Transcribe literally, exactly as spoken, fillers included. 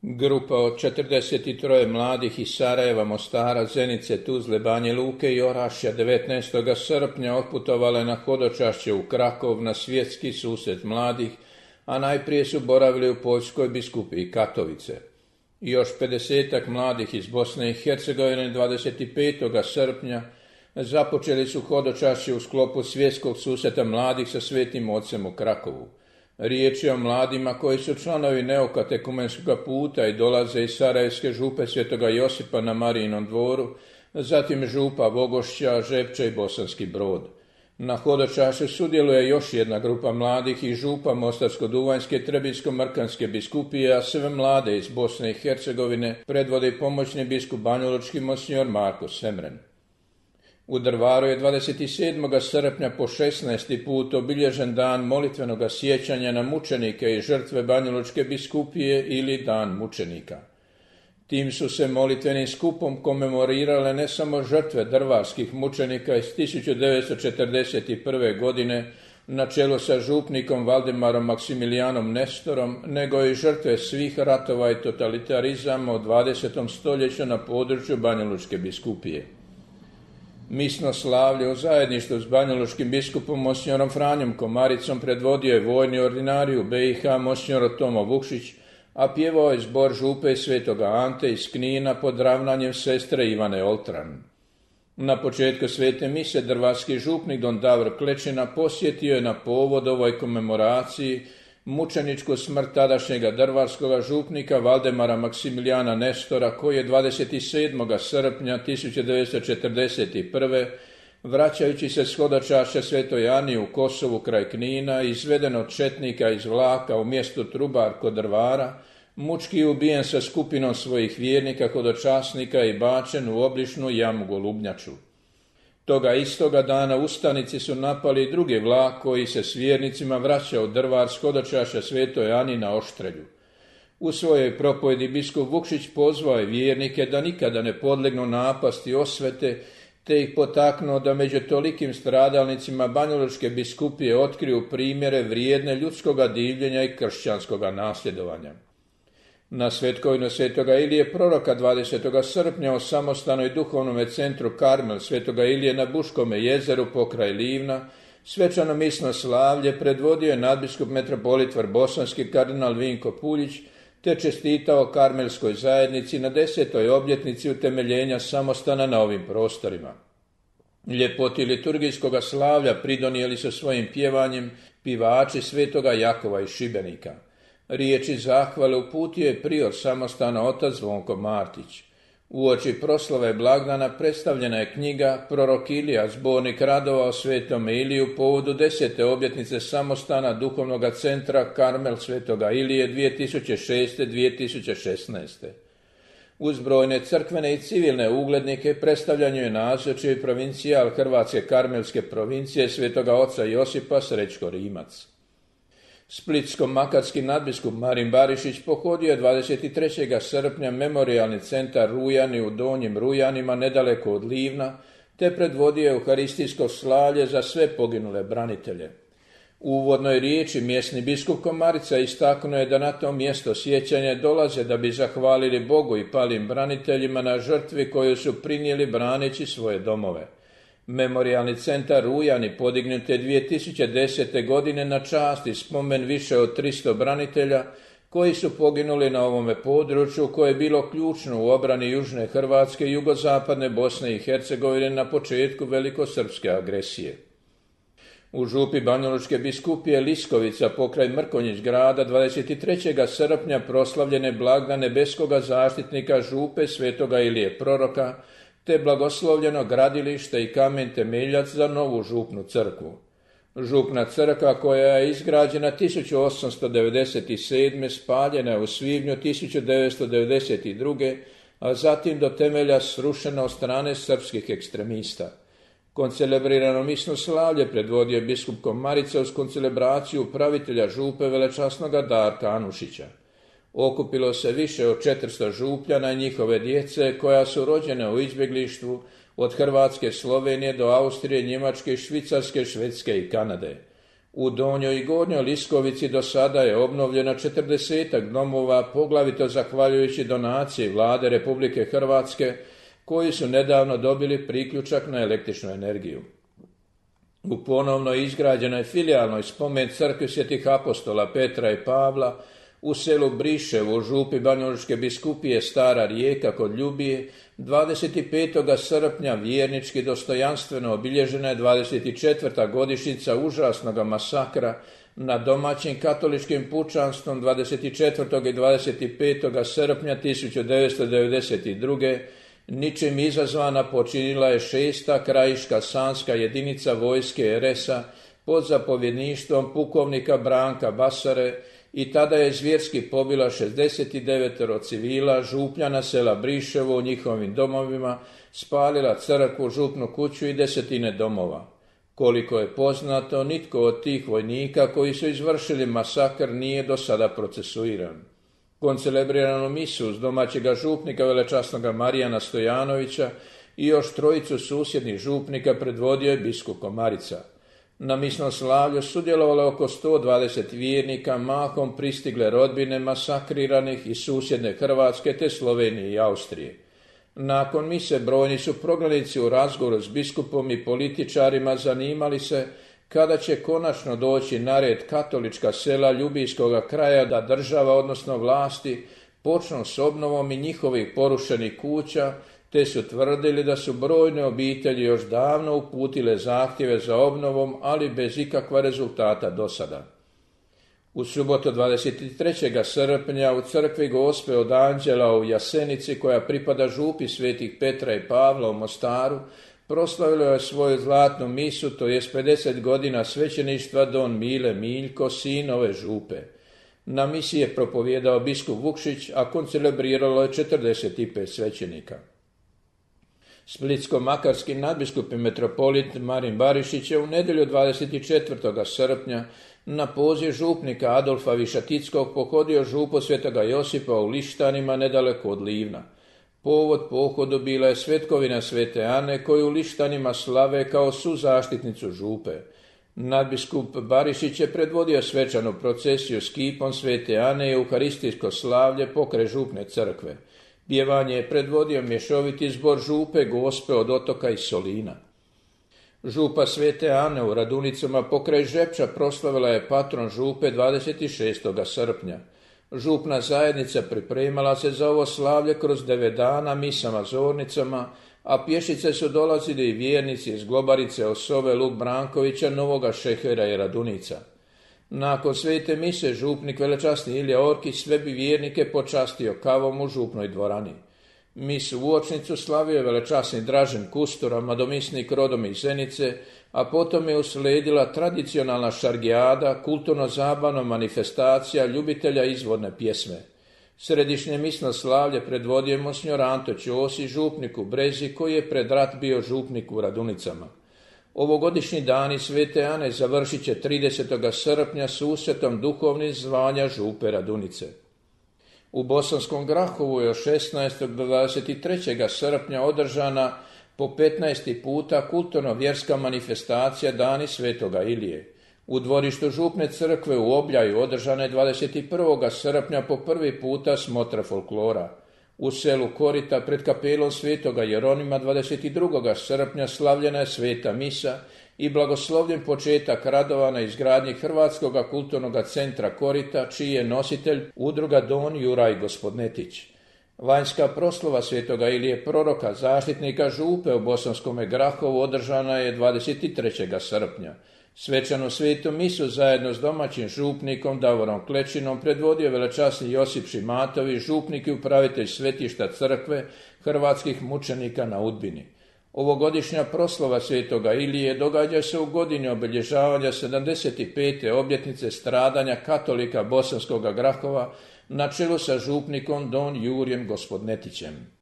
Grupa od četrdeset troje mladih iz Sarajeva, Mostara, Zenice, Tuzle, Banje Luke i Orašja devetnaestog srpnja otputovale na hodočašće u Krakov na svjetski susret mladih, a najprije su boravili u Poljskoj biskupiji Katovice. Još pedesetak mladih iz Bosne i Hercegovine dvadeset petog srpnja započeli su hodočašće u sklopu svjetskog susreta mladih sa Svetim Ocem u Krakovu. Riječ je o mladima koji su članovi neokatekumenskog puta i dolaze iz Sarajevske župe Svetoga Josipa na Marijinom dvoru, zatim župa Vogošća, Žepča i Bosanski Brod. Na hodočašću sudjeluje još jedna grupa mladih iz župa Mostarsko-Duvanjske i Trebinsko-Mrkanske biskupije, a sve mlade iz Bosne i Hercegovine predvodi pomoćni biskup banjalučki monsignor Marko Semren. U Drvaru je dvadeset sedmog srpnja po šesnaesti put obilježen dan molitvenog sjećanja na mučenike i žrtve banjalučke biskupije ili Dan mučenika. Tim su se molitvenim skupom komemorirale ne samo žrtve drvarskih mučenika iz tisuću devetsto četrdeset prve. godine na čelu sa župnikom Valdemarom Maksimilijanom Nestorom, nego i žrtve svih ratova i totalitarizama u dvadesetom stoljeću na području banjalučke biskupije. Misno slavlje u zajedništvu s banjalučkim biskupom monsignorom Franjom Komaricom predvodio je vojni ordinarij u B i H monsinjor Tomo Vukšić, a pjevao je zbor župe Svetoga Ante iz Knina pod ravnanjem sestre Ivane Oltran. Na početku svete mise drvarski župnik don Davor Klečina posjetio je na povod ovoj komemoraciji mučeničku smrt tadašnjega drvarskog župnika Valdemara Maksimilijana Nestora, koji je dvadeset sedmog srpnja tisuću devetsto četrdeset prve. vraćajući se s hodočašća Svetoj Ani u Kosovu kraj Knina, izveden od četnika iz vlaka u mjestu Trubar kod Drvara, mučki ubijen sa skupinom svojih vjernika, hodočasnika i bačen u obližnju jamu Golubnjaču. Toga istoga dana ustanici su napali drugi vlak koji se s vjernicima vraćao u Drvar s hodočašća Svetoj Ani na Oštrelju. U svojoj propovjedi biskup Vukšić pozvao je vjernike da nikada ne podlegnu napasti osvete, te ih potaknuo da među tolikim stradalnicima banjalučke biskupije otkriju primjere vrijedne ljudskoga divljenja i kršćanskoga nasljedovanja. Na svetkovinu Svetoga Ilije proroka dvadesetog srpnja u samostanoj duhovnom centru Karmel Svetoga Ilije na Buškome jezeru pokraj Livna svečano misno slavlje predvodio je nadbiskup metropolit Vrbosanski kardinal Vinko Puljić, te čestitao karmelskoj zajednici na desetoj obljetnici utemeljenja samostana na ovim prostorima. Ljepoti liturgijskoga slavlja pridonijeli su svojim pjevanjem pivači Svetoga Jakova iz Šibenika. Riječi zahvale uputio je prior samostana otac Zvonko Martić. Uoči proslave blagdana predstavljena je knjiga Prorok Ilija, zbornik radova o Svetom Iliju povodu desete obljetnice samostana duhovnog centra Karmel Svetoga Ilije dvije tisuće šeste do dvije tisuće šesnaeste. Uz brojne crkvene i civilne uglednike predstavljanju je nazočio provincijal Hrvatske karmelske provincije Svetoga oca Josipa Srećko Rimac. Splitsko-makatski nadbiskup Marin Barišić pohodio je dvadeset trećeg srpnja memorijalni centar Rujani u Donjim Rujanima nedaleko od Livna, te predvodio euharistijsko slavlje za sve poginule branitelje. U uvodnoj riječi mjesni biskup Komarica istaknuo je da na to mjesto sjećanja dolaze da bi zahvalili Bogu i palim braniteljima na žrtvi koju su prinijeli braneći svoje domove. Memorijalni centar Rujani podignut je dvije tisuće desete. godine na čast i spomen više od tristo branitelja koji su poginuli na ovome području koje je bilo ključno u obrani južne Hrvatske i jugozapadne Bosne i Hercegovine na početku velikosrpske agresije. U župi banjalučke biskupije Liskovica pokraj Mrkonjić grada dvadeset trećeg srpnja proslavljene blagdan nebeskoga zaštitnika župe Svetoga Ilije proroka, te blagoslovljeno gradilište i kamen temeljac za novu župnu crkvu. Župna crkva koja je izgrađena tisuću osamsto devedeset sedme. spaljena je u svibnju tisuću devetsto devedeset druge. a zatim do temelja srušena od strane srpskih ekstremista. Koncelebrirano misno slavlje predvodio biskup Komarica uz koncelebraciju upravitelja župe velečasnoga Darka Anušića. Okupilo se više od četiristo župljana i njihove djece koja su rođene u izbjeglištvu od Hrvatske, Slovenije do Austrije, Njemačke, Švicarske, Švedske i Kanade. U Donjoj i Gornjoj Liskovici do sada je obnovljeno četrdesetak domova, poglavito zahvaljujući donaciji Vlade Republike Hrvatske, koji su nedavno dobili priključak na električnu energiju. U ponovno izgrađenoj filijalnoj spomen crkvi Svetih apostola Petra i Pavla u selu Briševo u župi Banjalučke biskupije Stara Rijeka kod Ljubije dvadeset petog srpnja vjernički dostojanstveno obilježena je dvadeset četvrta godišnjica užasnog masakra nad domaćim katoličkim pučanstvom dvadeset četvrtog i dvadeset petog srpnja tisuću devetsto devedeset druge. Ničim izazvana počinila je šesta krajiška sanska jedinica vojske er es a pod zapovjedništvom pukovnika Branka Basare i tada je zvjerski pobila šezdeset devet civila, župljana sela Briševo u njihovim domovima, spalila crkvu, župnu kuću i desetine domova. Koliko je poznato, nitko od tih vojnika koji su izvršili masakr nije do sada procesuiran. Koncelebriranu misu uz domaćega župnika velečasnoga Marijana Stojanovića i još trojicu susjednih župnika predvodio je biskup Komarica. Na misnom slavlju sudjelovalo je oko sto dvadeset vjernika, mahom pristigle rodbine masakriranih iz susjedne Hrvatske te Slovenije i Austrije. Nakon mise brojni su prognanici u razgovoru s biskupom i političarima zanimali se kada će konačno doći na red katolička sela Ljubijskoga kraja da država, odnosno vlasti, počnu s obnovom i njihovih porušenih kuća, te su tvrdili da su brojne obitelji još davno uputile zahtjeve za obnovom, ali bez ikakva rezultata do sada. U subotu dvadeset trećeg srpnja u crkvi Gospe od Anđela u Jasenici, koja pripada župi Svetih Petra i Pavla u Mostaru, proslavilo je svoju zlatnu misu, to jest pedeset godina svećeništva don Mile Miljko, sin ove župe. Na misi je propovjedao biskup Vukšić, a koncelebriralo je četrdeset pet svećenika. Splitsko-makarski nadbiskup i metropolit Marin Barišić je u nedjelju dvadeset četvrtog srpnja na poziv župnika Adolfa Višatickog pohodio župu Svetoga Josipa u Lištanima nedaleko od Livna. Povod pohodu bila je svetkovina Svete Ane koju u Lištanima slave kao suzaštitnicu župe. Nadbiskup Barišić je predvodio svečanu procesiju s kipom Svete Ane i euharistijsko slavlje pokraj župne crkve. Pjevanje je predvodio mješoviti zbor župe Gospe od Otoka i Solina. Župa Svete Ane u Radunicama pokraj Žepča proslavila je patron župe dvadeset šestog srpnja. Župna zajednica pripremala se za ovo slavlje kroz devet dana misama, zornicama, a pješice su dolazili i vjernici iz Globarice, Osove, Luk Brankovića, Novoga Šehera i Radunica. Nakon svete mise župnik velečasni Ilija Orkić sve bi vjernike počastio kavom u župnoj dvorani. Misu uočnicu slavio je velečasni Dražen Kustura, madomisnik rodom iz Zenice, a potom je usledila tradicionalna šargijada, kulturno-zabavna manifestacija ljubitelja izvorne pjesme. Središnje misno slavlje predvodio je monsignor Anto Ćosi, župnik u Brezi, koji je pred rat bio župnik u Radunicama. Ovogodišnji dani Svete Ane završit će tridesetog srpnja susretom duhovnih zvanja župe Radunice. U Bosanskom Grahovu je od šesnaestog do dvadeset trećeg srpnja održana po petnaesti puta kulturno-vjerska manifestacija Dani Svetoga Ilije. U dvorištu župne crkve u Obljaju održana je dvadeset prvog srpnja po prvi puta smotra folklora. U selu Korita pred kapelom Svetoga Jeronima dvadeset drugog srpnja slavljena je sveta misa i blagoslovljen početak radova na izgradnji Hrvatskog kulturnog centra Korita, čiji je nositelj udruga Don Juraj Gospodnetić. Vanjska proslava Svetoga Ilije proroka, zaštitnika župe u Bosanskome Grahovu održana je dvadeset trećeg srpnja. Svečanu svetu misu zajedno s domaćim župnikom Davorom Klečinom predvodio velečasni Josip Šimatović, župnik i upravitelj svetišta crkve hrvatskih mučenika na Udbini. Ovogodišnja proslava Svetoga Ilije događa se u godini obilježavanja sedamdeset pete obljetnice stradanja katolika Bosanskoga Grahova na čelu sa župnikom don Jurijem Gospodnetićem.